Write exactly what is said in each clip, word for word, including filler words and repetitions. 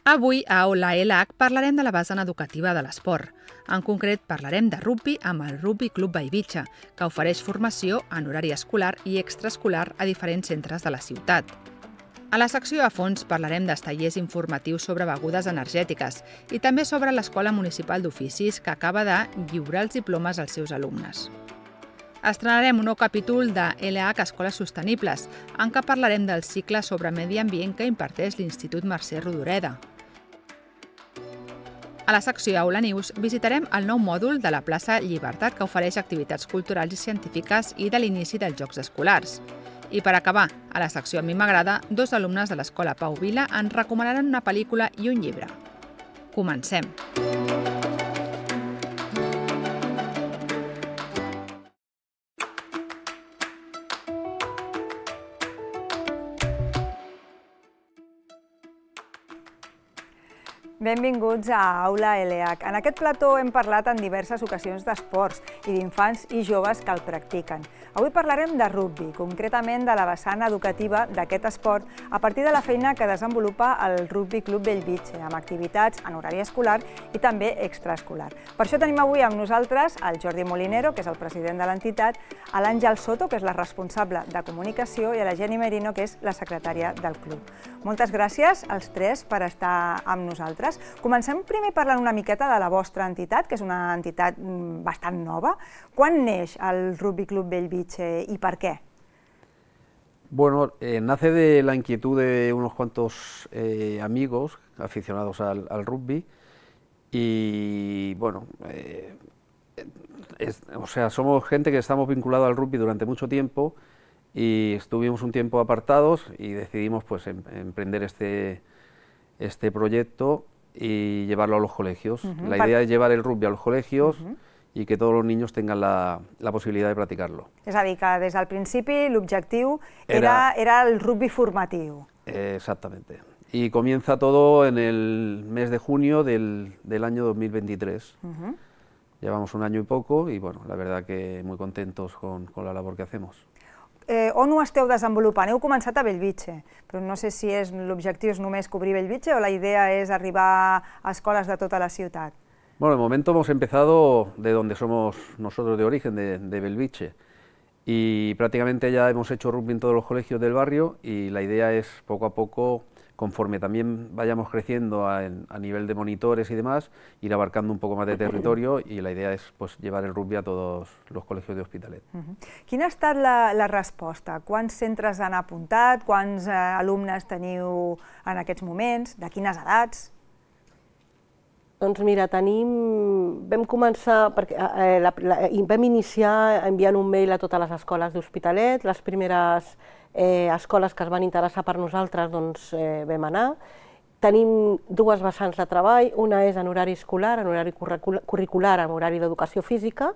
Avui a Aula L H parlarem de la vessant educativa de l'esport. En concret, parlarem de rugbi amb el Rugby Club Bellvitge, que ofereix formació en horari escolar i extraescolar a diferents centres de la ciutat. A la secció a fons parlarem dels tallers informatius sobre begudes energètiques i també sobre l'Escola Municipal d'Oficis, que acaba de lliurar els diplomes als seus alumnes. Estrenarem un nou capítol de L H Escoles Sostenibles, en què parlarem del cicle sobre medi ambient que imparteix l'Institut Mercè Rodoreda. A la secció Aula News visitarem el nou mòdul de la plaça Llibertat, que ofereix activitats culturals i científiques i de l'inici dels Jocs Escolars. I per acabar, a la secció A mi m'agrada, dos alumnes de l'Escola Pau Vila ens recomanaran una pel·lícula i un llibre. Comencem! Benvinguts a Aula L H. En aquest plató hem parlat en diverses ocasions d'esports i d'infants i joves que el practiquen. Avui parlarem de rugbi, concretament de la vessant educativa d'aquest esport a partir de la feina que desenvolupa el Rugby Club Bellvitge, amb activitats en horari escolar i també extraescolar. Per això tenim avui amb nosaltres el Jordi Molinero, que és el president de l'entitat, a l'Àngel Soto, que és la responsable de comunicació, i a la Jenny Merino, que és la secretària del club. Moltes gràcies als tres per estar amb nosaltres. Comencem primer parlant una miqueta de la vostra entitat, que és una entitat bastant nova. Quan neix el Rugby Club Bellvitge y por qué? Bueno, eh, nace de la inquietud de unos cuantos eh, amigos aficionados al, al rugby y bueno, eh, es, o sea, somos gente que estamos vinculados al rugby durante mucho tiempo y estuvimos un tiempo apartados y decidimos pues em, emprender este, este proyecto y llevarlo a los colegios. Uh-huh. La idea es llevar el rugby a los colegios uh-huh. i que tots els niños tengan la, la possibilitat de practicar-lo. És a dir, que des del principi l'objectiu era, era el rugby formatiu. Exactamente. Y comienza todo en el mes de junio del, del año dos mil veintitrés. Uh-huh. Llevamos un año y poco y bueno, la verdad que muy contentos con, con la labor que hacemos. Eh, on ho esteu desenvolupant? Heu començat a Bellvitge, però no sé si és l'objectiu és només cobrir Bellvitge o la idea és arribar a escoles de tota la ciutat. Bueno, de momento hemos empezado de donde somos nosotros de origen, de, de Bellvitche, y prácticamente ya hemos hecho rugby en todos los colegios del barrio y la idea es poco a poco, conforme también vayamos creciendo a, a nivel de monitores y demás, ir abarcando un poco más de territorio y la idea es pues, llevar el rugby a todos los colegios de Hospitalet. Uh-huh. Quina ha estat la, la resposta? Quants centres han apuntat? Quants eh, alumnes teniu en aquests moments? De quines edats? Doncs mira, tenim, vam començar, perquè, eh, la, la, vam iniciar enviant un mail a totes les escoles d'Hospitalet, les primeres eh, escoles que es van interessar per nosaltres doncs, eh, vam anar. Tenim dues vessants de treball, una és en horari escolar, en horari curricular, en horari d'educació física,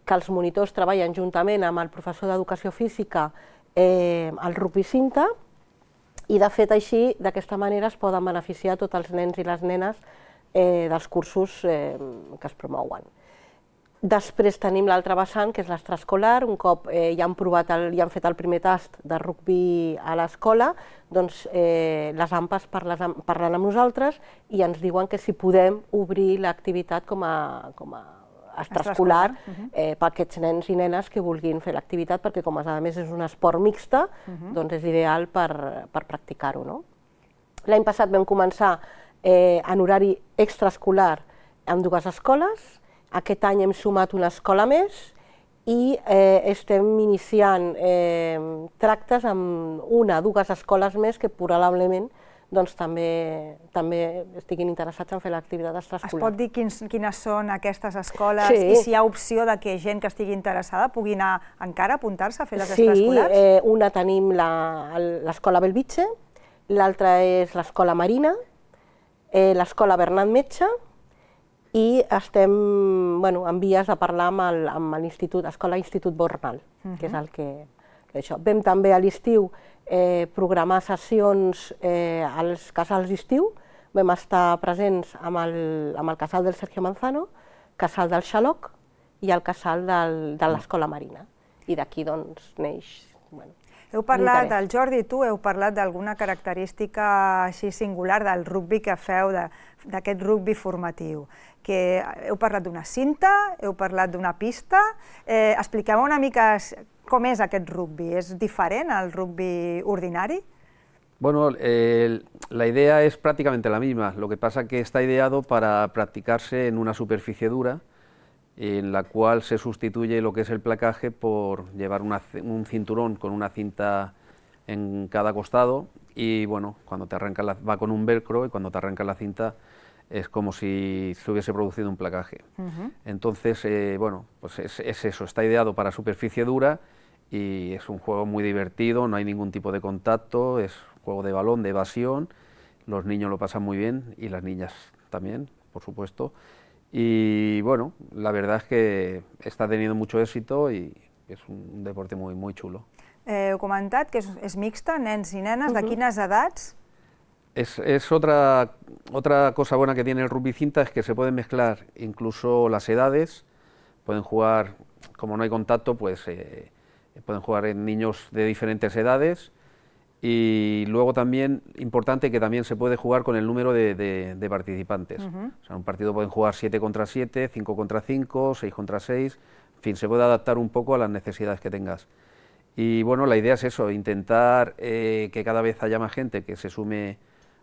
que els monitors treballen juntament amb el professor d'educació física eh, al rugby cinta, i de fet així, d'aquesta manera es poden beneficiar tots els nens i les nenes Eh, dels cursos eh, que es promouen. Després tenim l'altra vessant, que és l'extraescolar. Un cop eh, ja han provat el, ja han fet el primer tast de rugby a l'escola, doncs eh, les A M P A S parlen amb nosaltres i ens diuen que si podem obrir l'activitat com a, com a extraescolar eh, per aquests nens i nenes que vulguin fer l'activitat, perquè com a més és un esport mixta, uh-huh. doncs és ideal per, per practicar-ho. No? L'any passat vam començar Eh, en horari extraescolar amb dues escoles. Aquest any hem sumat una escola més i eh, estem iniciant eh, tractes amb una o dues escoles més que probablement doncs, també, també estiguin interessats en fer l'activitat extraescolar. Es pot dir quins, quines són aquestes escoles sí. i si hi ha opció de que gent que estigui interessada pugui anar encara a apuntar-se a fer les sí, extraescolars? Sí, eh, una tenim l'escola Bellvitge, l'altra és l'escola Marina, Eh, l'escola Bernat Metge i estem bueno, en vies de parlar amb l'institut, l'escola Institut Bornal, uh-huh. que és el que... Això. Vam també a l'estiu eh, programar sessions eh, als casals d'estiu, vam estar presents amb el, amb el casal del Sergio Manzano, casal del Xaloc i el casal del, de l'escola Marina. I d'aquí doncs neix... Bueno, Heu parlat, el Jordi i tu, heu parlat d'alguna característica així singular del rugbi que feu, d'aquest rugbi formatiu. Que heu parlat d'una cinta, heu parlat d'una pista. Expliqueu una mica com és aquest rugbi. És diferent al rugbi ordinari? Bueno, eh, la idea es prácticamente la misma, lo que pasa que está ideado para practicarse en una superficie dura, en la cual se sustituye lo que es el placaje por llevar una, un cinturón con una cinta en cada costado y bueno, cuando te arranca la, va con un velcro y cuando te arranca la cinta es como si se hubiese producido un placaje. Uh-huh. Entonces, eh, bueno, pues es, es eso, está ideado para superficie dura y es un juego muy divertido, no hay ningún tipo de contacto, es juego de balón, de evasión, los niños lo pasan muy bien y las niñas también, por supuesto. Y bueno, la verdad es que está teniendo mucho éxito y es un deporte muy, muy chulo. Eh, heu comentat que és, és mixta, nens i nenes, uh-huh. De quines edats? Es, es otra, otra cosa buena que tiene el rugby cinta, es que se pueden mezclar incluso las edades, pueden jugar, como no hay contacto, pues eh, pueden jugar en niños de diferentes edades. Y luego también, importante, que también se puede jugar con el número de, de, de participantes. Uh-huh. O sea, en un partido pueden jugar siete contra siete, cinco contra cinco, seis contra seis, en fin, se puede adaptar un poco a las necesidades que tengas. Y bueno, la idea es eso, intentar eh, que cada vez haya más gente que se sume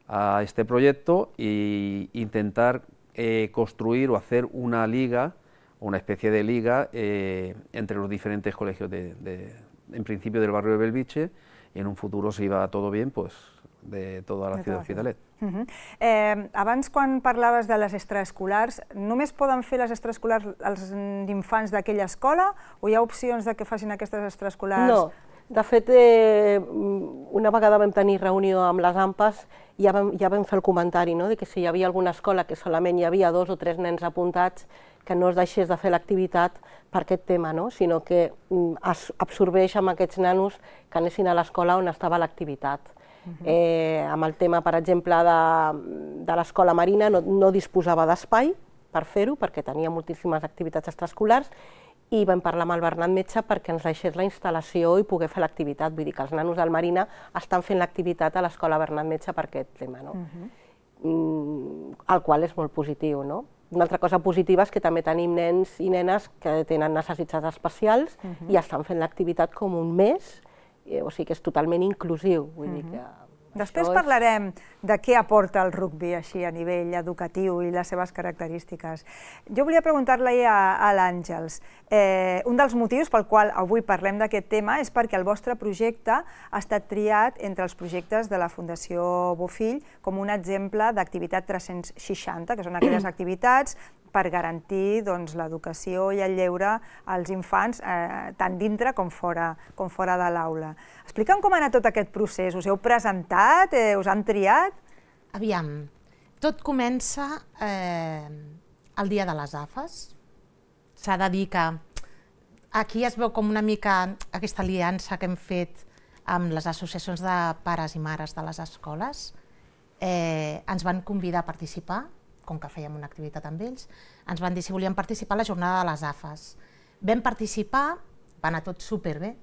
a este proyecto e intentar eh, construir o hacer una liga, una especie de liga eh, entre los diferentes colegios, de, de, en principio del barrio de Belvitge, i en un futur, si va tot bé, pues, de tota la ciutat d'Hospitalet. Uh -huh. eh, abans, quan parlaves de les extraescolars, només poden fer les extraescolars els infants d'aquella escola o hi ha opcions de que facin aquestes extraescolars? No, de fet, eh, una vegada vam tenir reunió amb les AMPAs i ja vam, ja vam fer el comentari, no?, de que si hi havia alguna escola que solament hi havia dos o tres nens apuntats, que no es deixés de fer l'activitat per aquest tema, no?, sinó que es absorbeix amb aquests nanos que anessin a l'escola on estava l'activitat. Uh-huh. eh, amb el tema, per exemple, de, de l'escola marina, no, no disposava d'espai per fer-ho, perquè tenia moltíssimes activitats extraescolars, i vam parlar amb el Bernat Metge perquè ens deixés la instal·lació i poder fer l'activitat. Vull dir que els nanos del Marina estan fent l'activitat a l'escola Bernat Metge per aquest tema, no? Uh-huh. mm, el qual és molt positiu, no? Una altra cosa positiva és que també tenim nens i nenes que tenen necessitats especials uh-huh. i estan fent l'activitat com un mes, o sigui que és totalment inclusiu. Vull dir que després parlarem de què aporta el rugbi així a nivell educatiu i les seves característiques. Jo volia preguntar-li a, a l'Àngels, eh, un dels motius pel qual avui parlem d'aquest tema és perquè el vostre projecte ha estat triat entre els projectes de la Fundació Bofill com un exemple d'activitat tres-cents seixanta, que són aquelles activitats per garantir doncs, l'educació i el lleure als infants, eh, tant dintre com fora, com fora de l'aula. Explica'm com ha anat tot aquest procés. Us heu presentat? Eh, us han triat? Aviam, tot comença eh, el dia de les A F Es. S'ha de dir que aquí es veu com una mica aquesta aliança que hem fet amb les associacions de pares i mares de les escoles. Eh, ens van convidar a participar, com que fèiem una activitat amb ells, ens van dir si volíem participar a la jornada de les A F Es. Vam participar, va anar tot superbé.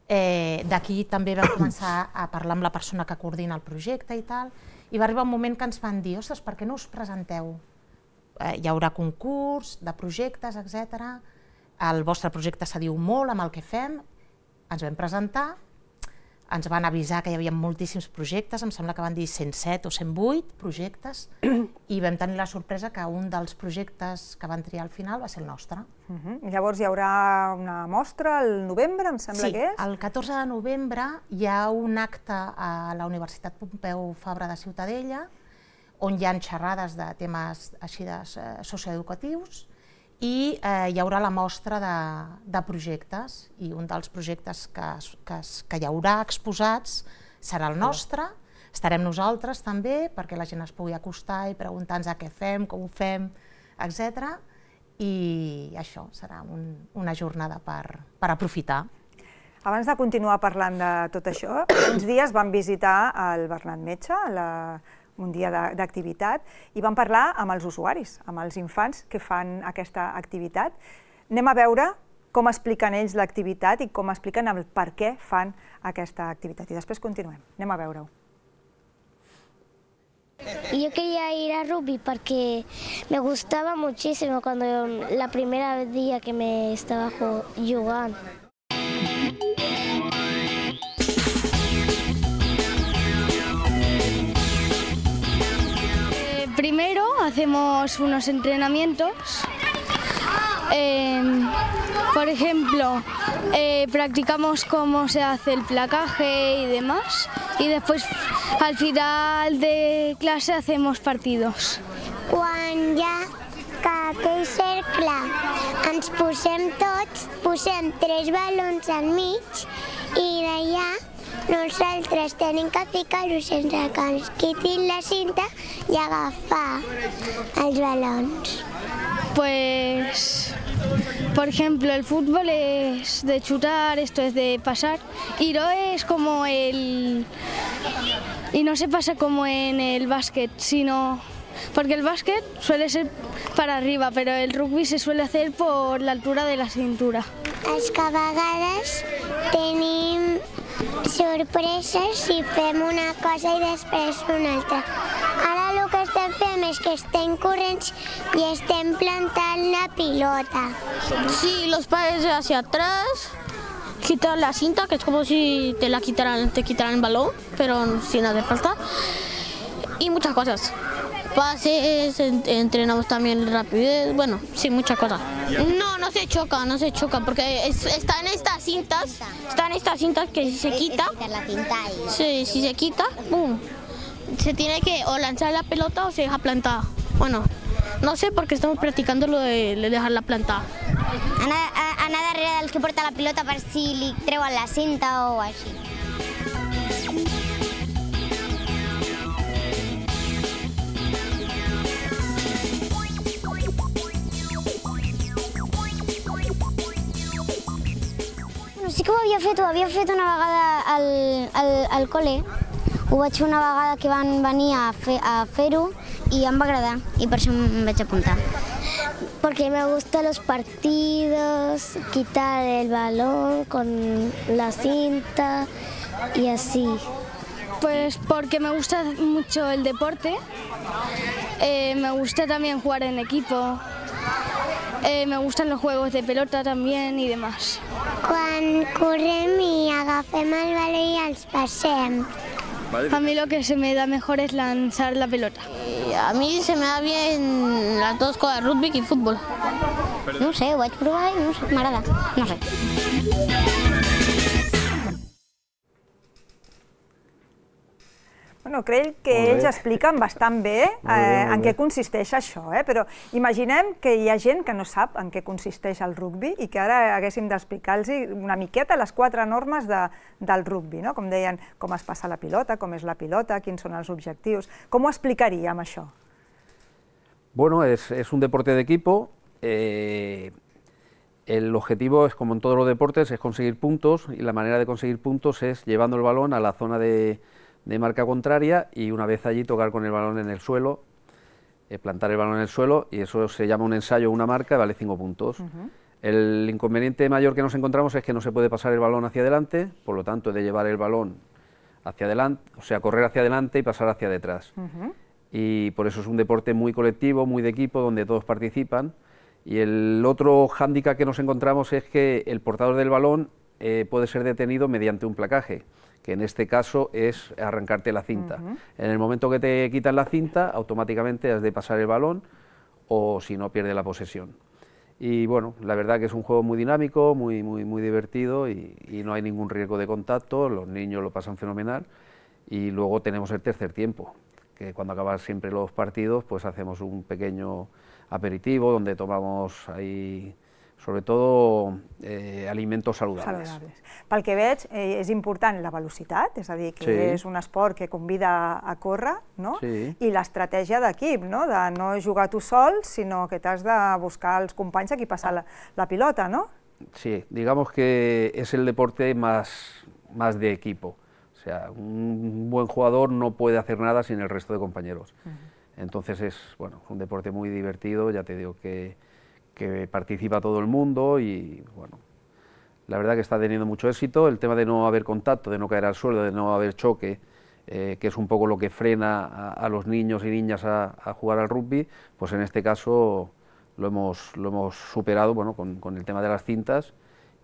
Eh, D'aquí també vam començar a parlar amb la persona que coordina el projecte i tal, i va arribar un moment que ens van dir, ostres, per què no us presenteu? Eh, hi haurà concurs de projectes, etcètera. El vostre projecte se diu molt amb el que fem. Ens vam presentar, ens van avisar que hi havia moltíssims projectes, em sembla que van dir cent set o cent vuit projectes, i vam tenir la sorpresa que un dels projectes que van triar al final va ser el nostre. Uh-huh. Llavors hi haurà una mostra al novembre, em sembla sí, que és? Sí, el catorze de novembre hi ha un acte a la Universitat Pompeu Fabra de Ciutadella, on hi ha xerrades de temes així de socioeducatius, i eh, hi haurà la mostra de, de projectes, i un dels projectes que, que, que hi haurà exposats serà el nostre. Estarem nosaltres també perquè la gent es pugui acostar i preguntar-nos què fem, com ho fem, etcètera. I això serà un, una jornada per, per aprofitar. Abans de continuar parlant de tot això, uns dies vam visitar el Bernat Metge, la un dia d'activitat, i vam parlar amb els usuaris, amb els infants que fan aquesta activitat. Anem a veure com expliquen ells l'activitat i com expliquen el per què fan aquesta activitat. I després continuem. Anem a veure-ho. Yo quería ir a rugby porque me gustaba muchísimo cuando la primera día que me estaba jugando. Eh, primero hacemos unos entrenamientos. Eh, por ejemplo, eh, practicamos cómo se hace el placaje y demás, y después al final de clase hacemos partidos. Quan ja que aquell cercle ens posem tots, posem tres balons al mig i d'allà nosaltres tenim que ficar-los sense que ens quitin la cinta i agafar els balons. Pues, por ejemplo, el fútbol es de chutar, esto es de pasar, y no es como el... y no se pasa como en el básquet, sino... porque el básquet suele ser para arriba, pero el rugby se suele hacer por la altura de la cintura. És que a vegades tenim sorpreses i fem una cosa i després una altra. Ara el que estem fent és que estem corrents i estem plantant la pilota. Sí, los pases hacia atrás, quitar la cinta, que es como si te la quitaran, te quitaran el balón, pero sin hacer falta. Y muchas cosas. Pases, entrenamos también rapidez, bueno, sí, muchas cosas. No, no se choca, no se choca, porque es, están estas cintas, están estas cintas que si se quita, sí, si se quita, boom, se tiene que o lanzar la pelota o se deja plantada. Bueno, no sé porque estamos practicando lo de dejarla plantada. Anar, anar darrere del que porta la pilota per si li treuen la cinta o així. Sí que ho havia fet, ho havia fet una vegada al, al, al col·le. Ho vaig fer una vegada que van venir a fer, a fer-ho i em va agradar i per això em vaig apuntar. Porque me gustan los partidos, quitar el balón con la cinta y así. Pues porque me gusta mucho el deporte, eh, me gusta también jugar en equipo. Eh, me gustan los juegos de pelota también y demás. Quan correm i agafem el baló i els passem. A mí lo que se me da mejor es lanzar la pelota. A mí se me da bien las dos cosas, rugby y fútbol. No sé, ho vaig provar i no sé, m'agrada, no sé. Bueno, crec que ells expliquen bastant bé en què consisteix això, però imaginem que hi ha gent que no sap en què consisteix el rugbi i que ara haguéssim d'explicar-los una miqueta les quatre normes del rugbi, com deien, com es passa la pilota, com és la pilota, quins són els objectius. Com ho explicaríem, això? Bueno, es, es un deporte de equipo. Eh, el objetivo es, como en todos los deportes, es conseguir puntos, y la manera de conseguir puntos es llevando el balón a la zona de de marca contraria y una vez allí tocar con el balón en el suelo, eh, plantar el balón en el suelo, y eso se llama un ensayo o una marca y vale cinco puntos. Uh-huh. El inconveniente mayor que nos encontramos es que no se puede pasar el balón hacia adelante, por lo tanto de llevar el balón hacia adelante, o sea, correr hacia adelante y pasar hacia detrás. Uh-huh. Y por eso es un deporte muy colectivo, muy de equipo, donde todos participan. Y el otro hándicap que nos encontramos es que el portador del balón eh, puede ser detenido mediante un placaje, que en este caso es arrancarte la cinta. Uh-huh. En el momento que te quitan la cinta, automáticamente has de pasar el balón, o si no, pierde la posesión. Y bueno, la verdad que es un juego muy dinámico, muy, muy, muy divertido, y, y no hay ningún riesgo de contacto, los niños lo pasan fenomenal, y luego tenemos el tercer tiempo, que cuando acaban siempre los partidos, pues hacemos un pequeño aperitivo, donde tomamos ahí, sobre todo, eh, alimentos saludables. saludables. Pel que veig, eh, és important la velocitat, és a dir, que sí. és un esport que convida a córrer, no? Sí. I l'estratègia d'equip, no? De no jugar tu sol, sinó que t'has de buscar els companys a qui passar la, la pilota, ¿no? Sí, digamos que es el deporte más, más de equipo. O sea, un buen jugador no puede hacer nada sin el resto de compañeros. Uh-huh. Entonces es, bueno, un deporte muy divertido, ya te digo que que participa todo el mundo y bueno, la verdad que está teniendo mucho éxito. El tema de no haber contacto, de no caer al suelo, de no haber choque, eh, que es un poco lo que frena a, a los niños y niñas a, a jugar al rugby, pues en este caso lo hemos, lo hemos superado, bueno, con, con el tema de las cintas,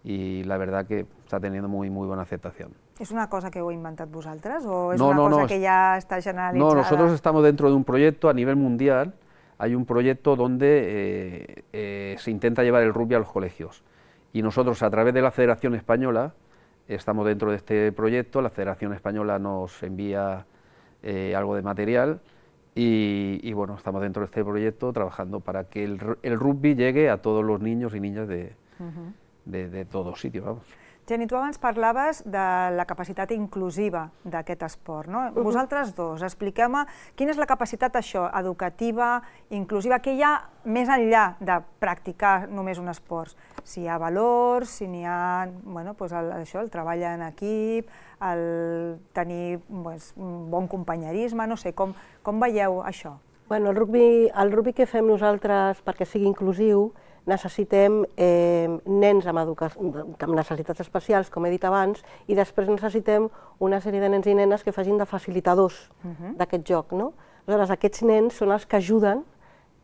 y la verdad que está teniendo muy, muy buena aceptación. ¿Es una cosa que heu inventat vosaltres o es no, una no, cosa no, que ya está generalizada? No, nosotros estamos dentro de un proyecto a nivel mundial. Hay un proyecto donde eh, eh, se intenta llevar el rugby a los colegios, y nosotros a través de la Federación Española estamos dentro de este proyecto. La Federación Española nos envía eh, algo de material y, y bueno, estamos dentro de este proyecto trabajando para que el, el rugby llegue a todos los niños y niñas de, uh-huh. de, de todos sitios, vamos. Jenny, tu abans parlaves de la capacitat inclusiva d'aquest esport, no? Uh-huh. Vosaltres dos, expliqueu-me quina és la capacitat això, educativa, inclusiva, que hi ha més enllà de practicar només un esport. Si hi ha valors, si n'hi ha, bueno, doncs el, això, el treball en equip, el tenir pues, un bon companyerisme, no sé, com, com veieu això? Bueno, el rugby, el rugby que fem nosaltres perquè sigui inclusiu, necessitem eh, nens amb, amb necessitats especials, com he dit abans, i després necessitem una sèrie de nens i nenes que facin de facilitadors uh-huh. d'aquest joc, no? Aleshores, aquests nens són els que ajuden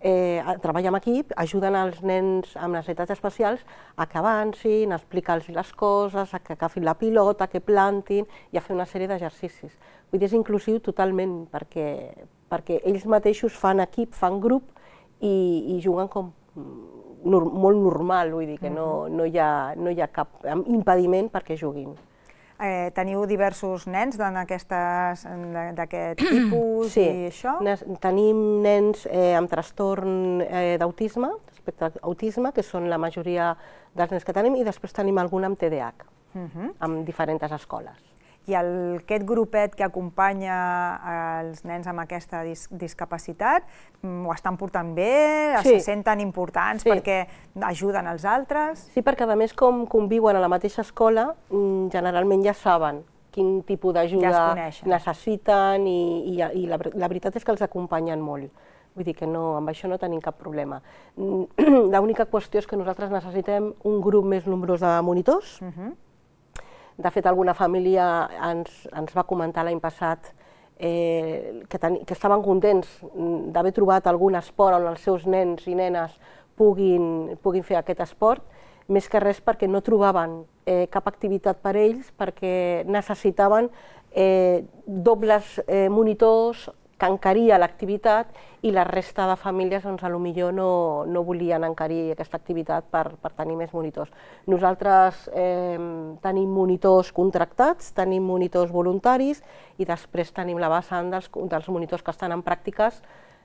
eh, a treballar en equip, ajuden als nens amb necessitats especials a que avancin, a explicar-los les coses, a que agafin la pilota, que plantin i a fer una sèrie d'exercicis. Vull dir, és inclusiu totalment, perquè, perquè ells mateixos fan equip, fan grup i, i juguen com Nor molt normal, vull dir que no, no, hi ha, no hi ha cap impediment perquè juguin. Eh, teniu diversos nens d'aquest tipus sí. i això? Tenim nens eh, amb trastorn eh, d'autisme, respecte a autisme, que són la majoria dels nens que tenim, i després tenim algun amb T D A H, uh-huh. amb diferents escoles. I el, aquest grupet que acompanya els nens amb aquesta dis discapacitat, ho estan portant bé, sí. se senten importants sí. perquè ajuden els altres? Sí, perquè a més com conviuen a la mateixa escola, generalment ja saben quin tipus d'ajuda ja necessiten i, i, i la, la veritat és que els acompanyen molt. Vull dir que no, amb això no tenim cap problema. L'única qüestió és que nosaltres necessitem un grup més nombrós de monitors. Uh-huh. De fet, alguna família ens, ens va comentar l'any passat eh, que, ten, que estaven contents d'haver trobat algun esport on els seus nens i nenes puguin, puguin fer aquest esport, més que res perquè no trobaven eh, cap activitat per ells, perquè necessitaven eh, dobles eh, monitors que encaria l'activitat i la resta de famílies doncs, potser no, no volien encarir aquesta activitat per, per tenir més monitors. Nosaltres eh, tenim monitors contractats, tenim monitors voluntaris i després tenim la vessant dels, dels monitors que estan en pràctiques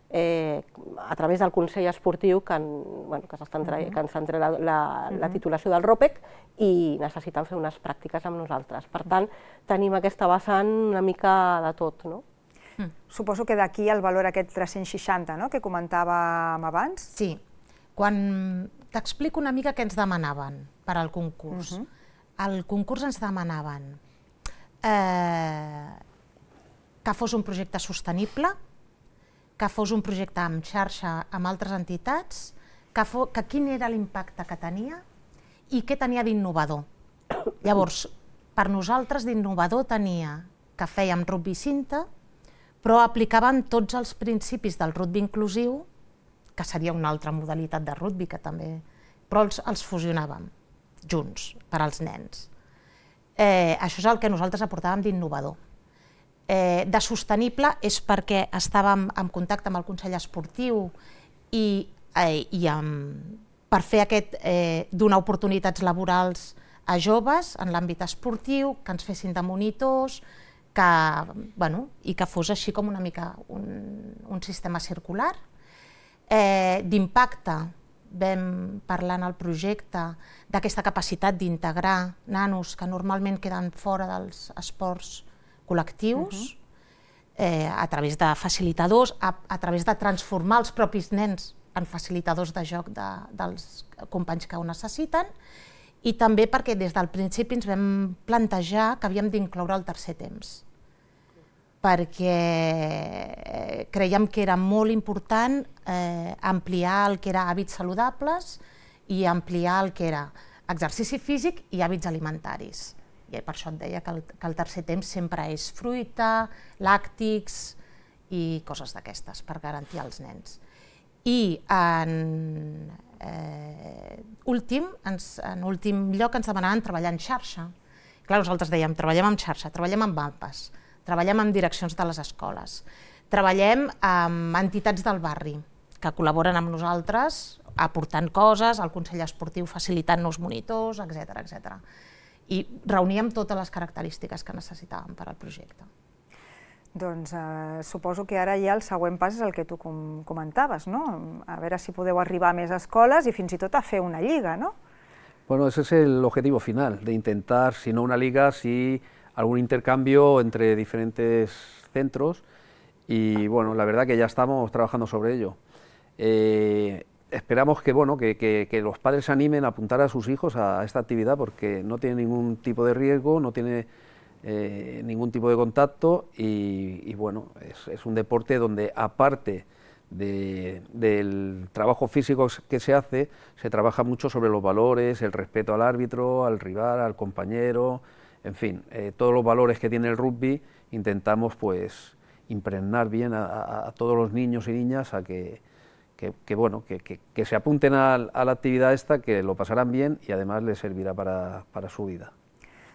eh, a través del Consell Esportiu que, en, bueno, que s'estan traient, que ens han tret la, la, la titulació del ROPEC i necessiten fer unes pràctiques amb nosaltres. Per tant, tenim aquesta vessant una mica de tot, no? Mm. Suposo que d'aquí el valor aquest tres-cents seixanta, no?, que comentàvem abans. Sí. Quan t'explico una mica què ens demanaven per al concurs. Uh-huh. Al concurs ens demanaven eh, que fos un projecte sostenible, que fos un projecte amb xarxa amb altres entitats, que, fos, que quin era l'impacte que tenia i què tenia d'innovador. Llavors, per nosaltres d'innovador tenia que fèiem rugby cinta, però aplicàvem tots els principis del rugby inclusiu, que seria una altra modalitat de rugby, que també, però els, els fusionàvem junts per als nens. Eh, això és el que nosaltres aportàvem d'innovador. Eh, de sostenible és perquè estàvem en contacte amb el Consell Esportiu i, eh, i amb, per fer aquest, eh, donar oportunitats laborals a joves en l'àmbit esportiu, que ens fessin de monitors, que, bueno, i que fos així com una mica un, un sistema circular. Eh, D'impacte, vam parlar en el projecte d'aquesta capacitat d'integrar nanos que normalment queden fora dels esports col·lectius, uh-huh. eh, a través de facilitadors, a, a través de transformar els propis nens en facilitadors de joc de, dels companys que ho necessiten, i també perquè des del principi ens vam plantejar que havíem d'incloure el tercer temps, perquè creiem que era molt important eh, ampliar el que era hàbits saludables i ampliar el que era exercici físic i hàbits alimentaris. I per això et deia que el, que el tercer temps sempre és fruita, làctics i coses d'aquestes per garantir als nens. I en, eh, últim, ens, en últim lloc ens demanaven treballar en xarxa. Clar, nosaltres dèiem, treballem en xarxa, treballem amb mapes, treballem amb direccions de les escoles, treballem amb entitats del barri que col·laboren amb nosaltres aportant coses, el Consell Esportiu facilitant-nos monitors, etcètera, etcètera. I reuníem totes les característiques que necessitàvem per al projecte. Doncs eh, suposo que ara ja el següent pas és el que tu com comentaves, no? A veure si podeu arribar a més escoles i fins i tot a fer una lliga, ¿no? Bueno, ese es el objetivo final, de intentar, si no una liga, sí algún intercambio entre diferentes centros y bueno, la verdad que ya estamos trabajando sobre ello. Eh, esperamos que, bueno, que, que, que los padres se animen a apuntar a sus hijos a esta actividad porque no tiene ningún tipo de riesgo, no tiene eh, ningún tipo de contacto y, y bueno, es, es un deporte donde aparte de, del trabajo físico que se hace, se trabaja mucho sobre los valores, el respeto al árbitro, al rival, al compañero, en fin, eh, todos los valores que tiene el rugby intentamos pues impregnar bien a, a, a todos los niños y niñas a que Que, que, bueno, que, que, que se apunten a, a la actividad esta, que lo pasarán bien y además les servirá para, para su vida.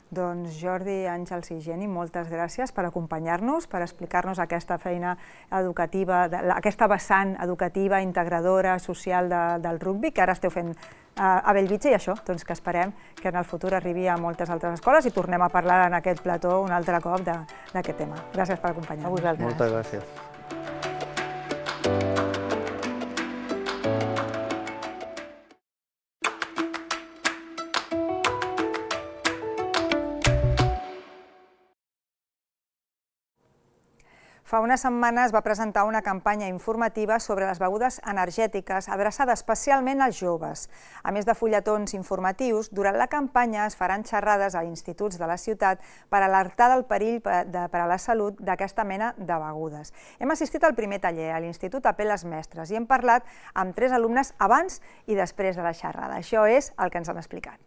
Doncs Jordi, Àngels i Geni, moltes gràcies per acompanyar-nos, per explicar-nos aquesta feina educativa, aquesta vessant educativa, integradora, social de, del rugbi, que ara esteu fent a, a Bellvitge, i això, doncs que esperem que en el futur arribi a moltes altres escoles i tornem a parlar en aquest plató un altre cop d'aquest tema. Gràcies per acompanyar-nos. A vosaltres. Moltes gràcies. Fa unes setmanes va presentar una campanya informativa sobre les begudes energètiques adreçada especialment als joves. A més de fulletons informatius, durant la campanya es faran xerrades a instituts de la ciutat per alertar del perill per a la salut d'aquesta mena de begudes. Hem assistit al primer taller a l'Institut Apel·les Mestres i hem parlat amb tres alumnes abans i després de la xerrada. Això és el que ens han explicat.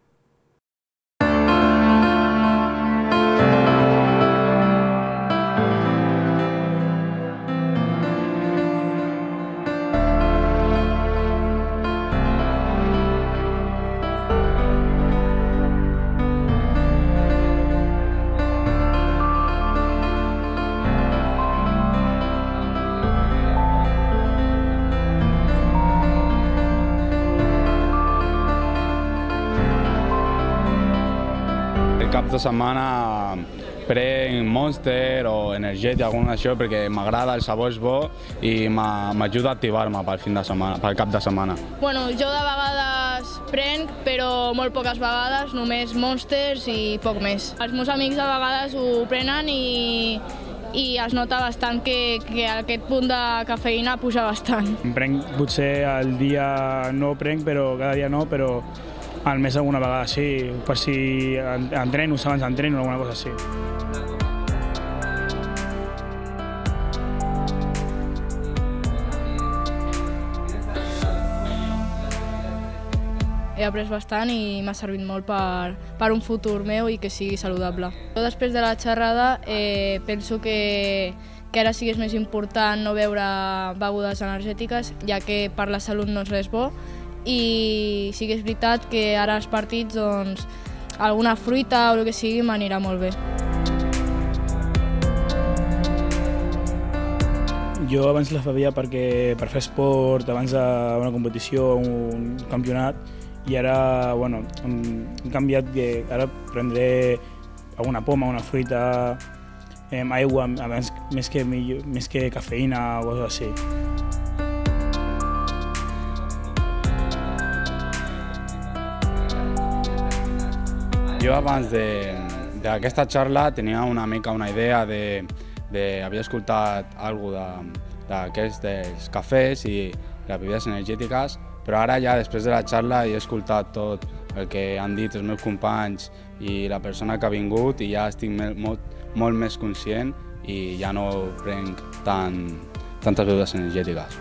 Cap de setmana prenc Monster o energètic, alguna d'això, perquè m'agrada, el sabor és bo i m'ajuda a activar-me pel fin de setmana, pel cap de setmana. Bueno, jo de vegades prenc, però molt poques vegades, només Monsters i poc més. Els meus amics de vegades ho prenen i, i es nota bastant que, que aquest punt de cafeïna puja bastant. Prenc, potser al dia no prenc, però cada dia no, però al mes alguna vegada sí, per si entreno, abans entreno, alguna cosa així. He après bastant i m'ha servit molt per, per un futur meu i que sigui saludable. Jo després de la xerrada eh, penso que, que ara sí que és més important no beure begudes energètiques, ja que per la salut no és res bo, i sí que és veritat que ara als partits doncs, alguna fruita o el que sigui m'anirà molt bé. Jo abans les bevia perquè, per fer esport, abans d'una competició, un campionat, i ara bueno, hem canviat, que ara prendré alguna poma, una fruita, eh, aigua, abans, més, que, més que cafeïna o coses així. Jo abans d'aquesta xarra tenia una mica una idea de, de havia escoltat alguna cosa d'aquests dels cafès i les bebides energètiques, però ara ja després de la xarra he escoltat tot el que han dit els meus companys i la persona que ha vingut i ja estic molt, molt més conscient i ja no prenc tant, tantes begudes energètiques.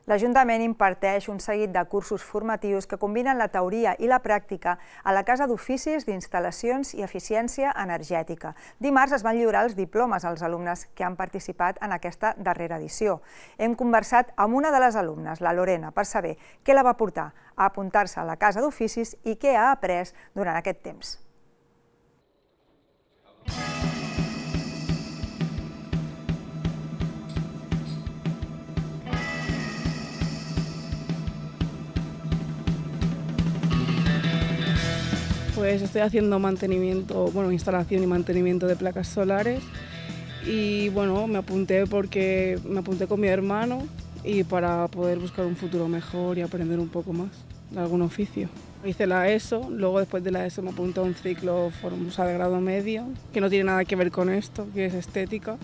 L'Ajuntament imparteix un seguit de cursos formatius que combinen la teoria i la pràctica a la Casa d'Oficis d'Instal·lacions i Eficiència Energètica. Dimarts es van lliurar els diplomes als alumnes que han participat en aquesta darrera edició. Hem conversat amb una de les alumnes, la Lorena, per saber què la va portar a apuntar-se a la Casa d'Oficis i què ha après durant aquest temps. Pues estoy haciendo mantenimiento, bueno, instalación y mantenimiento de placas solares y bueno, me apunté porque me apunté con mi hermano y para poder buscar un futuro mejor y aprender un poco más de algún oficio. Hice la ESO, luego después de la ESO me apunté a un ciclo Formosa de grado medio, que no tiene nada que ver con esto, que es estética.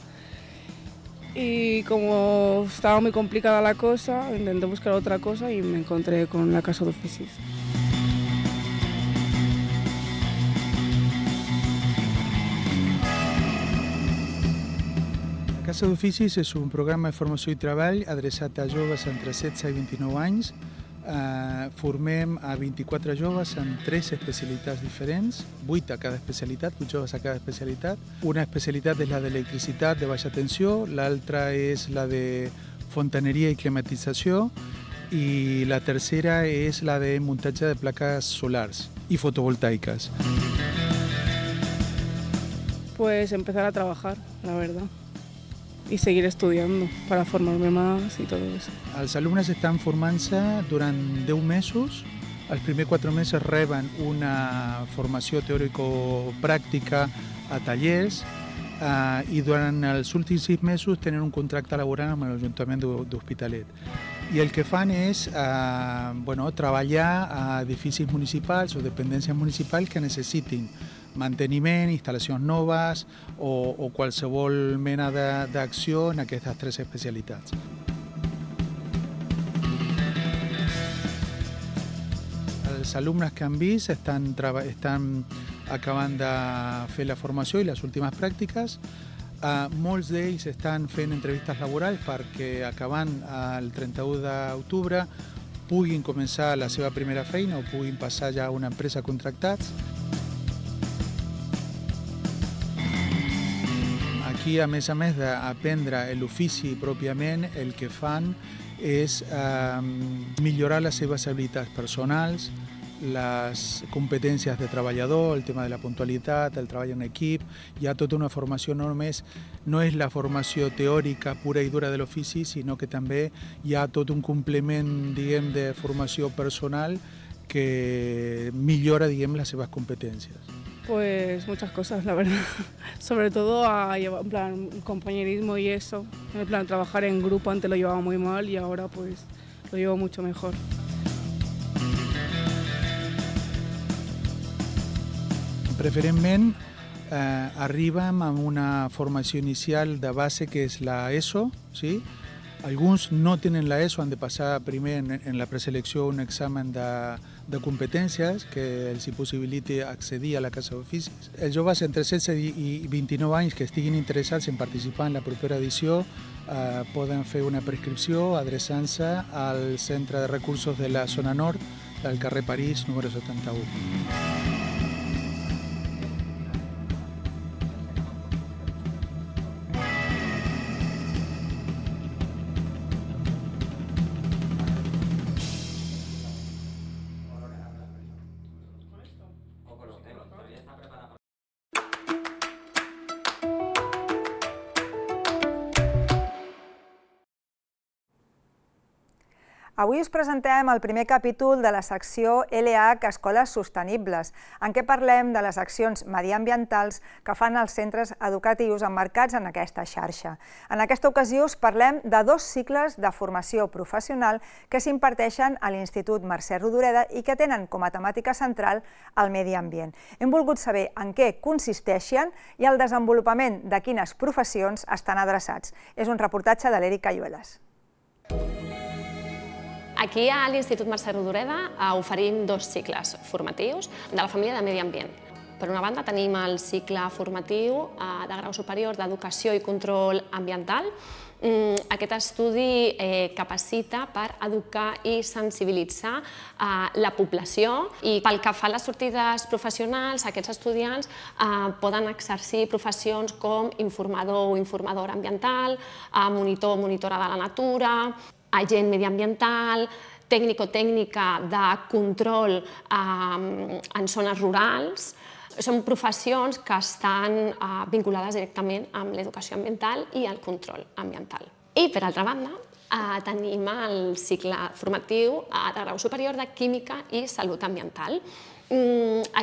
Y como estaba muy complicada la cosa, intenté buscar otra cosa y me encontré con la Casa d'Oficis. La Casa d'Oficis és un programa de formació i treball adreçat a joves entre setze i vint-i-nou anys. Eh, formem a vint-i-quatre joves en tres especialitats diferents, vuit a cada especialitat, vuit joves a cada especialitat. Una especialitat és la d'electricitat de baixa tensió, l'altra és la de fontaneria i climatització i la tercera és la de muntatge de plaques solars i fotovoltaiques. Pues empezar a trabajar, la verdad. Y seguir estudiando para formarme más y todo eso. Els alumnes estan formant-se durant deu mesos. Els primers quatre mesos reben una formació teòrico-pràctica a tallers eh, i durant els últims sis mesos tenen un contracte laboral amb l'Ajuntament d'Hospitalet. I el que fan és eh, bueno, treballar a edificis municipals o dependències municipals que necessitin manteniment, instal·lacions noves o, o qualsevol mena d'acció en aquestes tres especialitats. Els alumnes que han vist estan, estan acabant de fer la formació i les últimes pràctiques. Uh, molts d'ells estan fent entrevistes laborals perquè acabant el trenta-u d'octubre puguin començar la seva primera feina o puguin passar ja a una empresa contractats. Aquí, a més a més d'aprendre l'ofici pròpiament, el que fan és eh, millorar les seves habilitats personals, les competències de treballador, el tema de la puntualitat, el treball en equip. Hi ha tota una formació, no només no és la formació teòrica pura i dura de l'ofici, sinó que també hi ha tot un complement, diguem, de formació personal que millora, diguem, les seves competències. Pues muchas cosas, la verdad. Sobre todo a llevar, en plan, compañerismo y eso. En plan, trabajar en grupo antes lo llevaba muy mal y ahora pues lo llevo mucho mejor. Preferentment eh, arribem amb una formació inicial de base que és la ESO, sí? Alguns no tenen la ESO, han de passar primer en, en la preselecció un examen de, de competències que els possibiliti accedir a la Casa d'Oficis. Els joves entre setze i vint-i-nou anys que estiguin interessats en participar en la propera edició eh, poden fer una prescripció adreçant-se al Centre de Recursos de la Zona Nord del carrer París, número setanta-u. Avui us presentem el primer capítol de la secció L H Escoles Sostenibles, en què parlem de les accions mediambientals que fan els centres educatius emmarcats en aquesta xarxa. En aquesta ocasió us parlem de dos cicles de formació professional que s'imparteixen a l'Institut Mercè Rodoreda i que tenen com a temàtica central el medi ambient. Hem volgut saber en què consisteixen i el desenvolupament de quines professions estan adreçats. És un reportatge de l'Eric Cayuelas. Aquí a l'Institut Mercè Rodoreda oferim dos cicles formatius de la família de medi ambient. Per una banda tenim el cicle formatiu de grau superior d'Educació i Control Ambiental. Aquest estudi capacita per educar i sensibilitzar la població i pel que fa a les sortides professionals, aquests estudiants poden exercir professions com informador o informadora ambiental, monitor o monitora de la natura, agent mediambiental, tècnic o tècnica de control en zones rurals. Són professions que estan vinculades directament amb l'educació ambiental i el control ambiental. I, per altra banda, tenim el cicle formatiu de grau superior de Química i Salut Ambiental.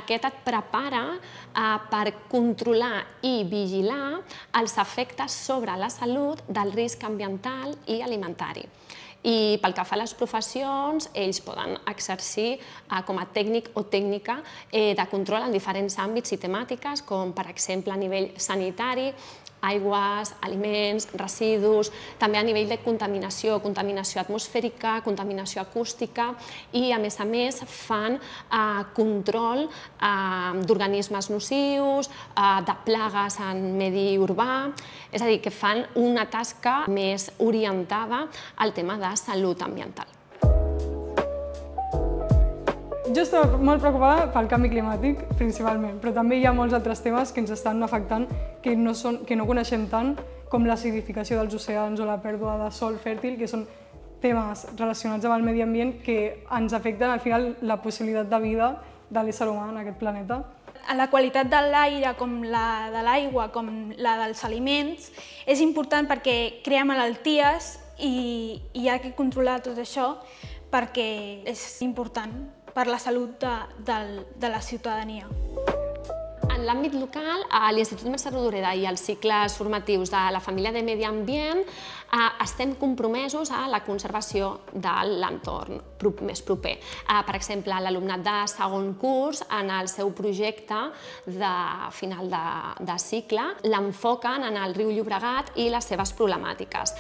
Aquest et prepara per controlar i vigilar els efectes sobre la salut del risc ambiental i alimentari. I pel que fa a les professions, ells poden exercir com a tècnic o tècnica de control en diferents àmbits i temàtiques, com per exemple a nivell sanitari, aigües, aliments, residus, també a nivell de contaminació, contaminació atmosfèrica, contaminació acústica i, a més a més, fan control d'organismes nocius, de plagues en medi urbà, és a dir, que fan una tasca més orientada al tema de salut ambiental. Jo estic molt preocupada pel canvi climàtic, principalment, però també hi ha molts altres temes que ens estan afectant que no, són, que no coneixem tant, com l'acidificació dels oceans o la pèrdua de sòl fèrtil, que són temes relacionats amb el medi ambient que ens afecten al final la possibilitat de vida de l'ésser humà en aquest planeta. La qualitat de l'aire, com la de l'aigua, com la dels aliments, és important perquè crea malalties i hi ha que controlar tot això perquè és important per la salut de, de, de la ciutadania. En l'àmbit local, l'Institut Mercè Rodoreda i els cicles formatius de la família de Medi Ambient estem compromesos a la conservació de l'entorn més proper. Per exemple, l'alumnat de segon curs, en el seu projecte de final de, de cicle, l'enfoquen en el riu Llobregat i les seves problemàtiques.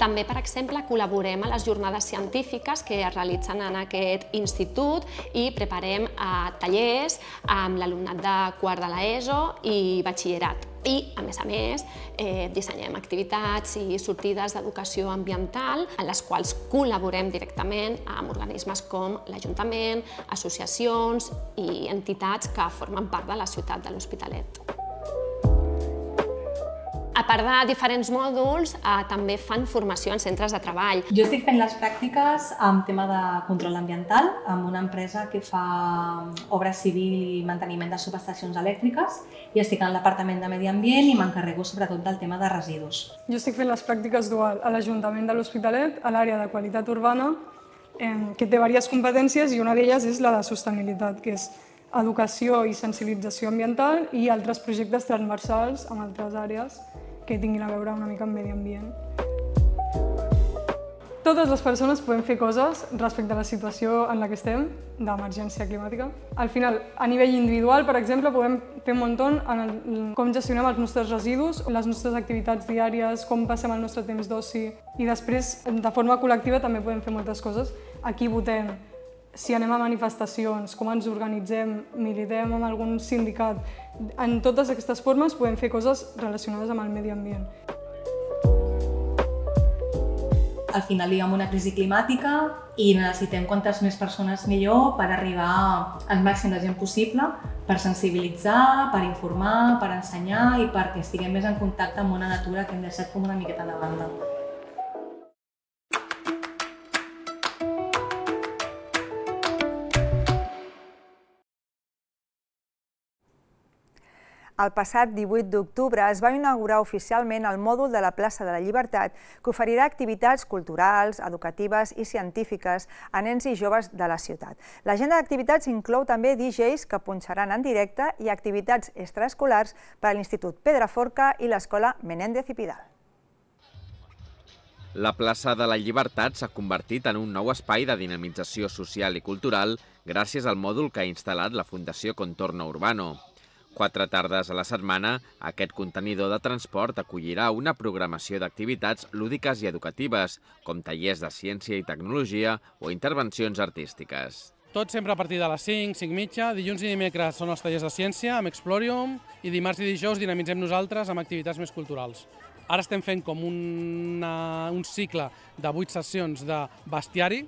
També, per exemple, col·laborem a les jornades científiques que es realitzen en aquest institut i preparem tallers amb l'alumnat de quart de l'ESO i batxillerat. I, a més a més, dissenyem activitats i sortides d'educació ambiental en les quals col·laborem directament amb organismes com l'Ajuntament, associacions i entitats que formen part de la ciutat de l'Hospitalet. A part de diferents mòduls, també fan formació en centres de treball. Jo estic fent les pràctiques amb tema de control ambiental amb una empresa que fa obra civil i manteniment de subestacions elèctriques i estic en el Departament de Medi Ambient i m'encarrego sobretot del tema de residus. Jo estic fent les pràctiques dual a l'Ajuntament de l'Hospitalet, a l'àrea de qualitat urbana, que té diverses competències i una d'elles és la de sostenibilitat, que és educació i sensibilització ambiental i altres projectes transversals amb altres àrees que tinguin a veure una mica amb medi ambient. Totes les persones podem fer coses respecte a la situació en la que estem, d'emergència climàtica. Al final, a nivell individual, per exemple, podem fer un munt en el, com gestionem els nostres residus, les nostres activitats diàries, com passem el nostre temps d'oci. I després, de forma col·lectiva, també podem fer moltes coses. Aquí votem, si anem a manifestacions, com ens organitzem, militem amb algun sindicat. En totes aquestes formes podem fer coses relacionades amb el medi ambient. Al final hi ha una crisi climàtica i necessitem quantes més persones millor per arribar al màxim de gent possible, per sensibilitzar, per informar, per ensenyar i perquè estiguem més en contacte amb una natura que hem deixat com una miqueta de banda. El passat divuit d'octubre es va inaugurar oficialment el mòdul de la plaça de la Llibertat que oferirà activitats culturals, educatives i científiques a nens i joves de la ciutat. L'agenda d'activitats inclou també D Js que punxaran en directe i activitats extraescolars per a l'Institut Pedraforca i l'Escola Menéndez i Pidal. La plaça de la Llibertat s'ha convertit en un nou espai de dinamització social i cultural gràcies al mòdul que ha instal·lat la Fundació Contorno Urbano. Quatre tardes a la setmana, aquest contenidor de transport acollirà una programació d'activitats lúdiques i educatives, com tallers de ciència i tecnologia o intervencions artístiques. Tot sempre a partir de les cinc, cinc i mitja, dilluns i dimecres són els tallers de ciència amb Explorium i dimarts i dijous dinamitzem nosaltres amb activitats més culturals. Ara estem fent com una, un cicle de vuit sessions de bestiari,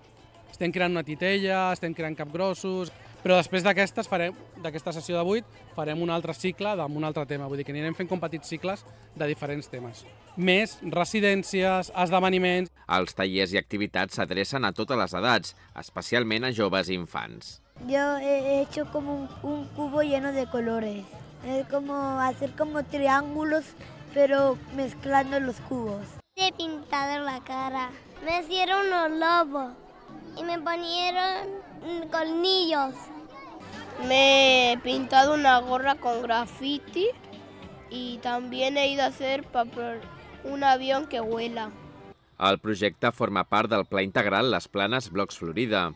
estem creant una titella, estem creant capgrossos, però després d'aquestes farem, d'aquesta sessió de vuit, farem un altre cicle amb un altre tema, vull dir que anirem fent com petits cicles de diferents temes. Més residències, esdeveniments... Els tallers i activitats s'adrecen a totes les edats, especialment a joves i infants. Yo he hecho como un, un cubo lleno de colores. Es como hacer como triángulos, pero mezclando los cubos. He pintado la cara. Me hicieron unos lobos y me ponieron colmillos. Me he pintado una gorra con graffiti y también he ido a hacer papel, un avión que vuela. El projecte forma part del Pla Integral Les Planes Blocs Florida.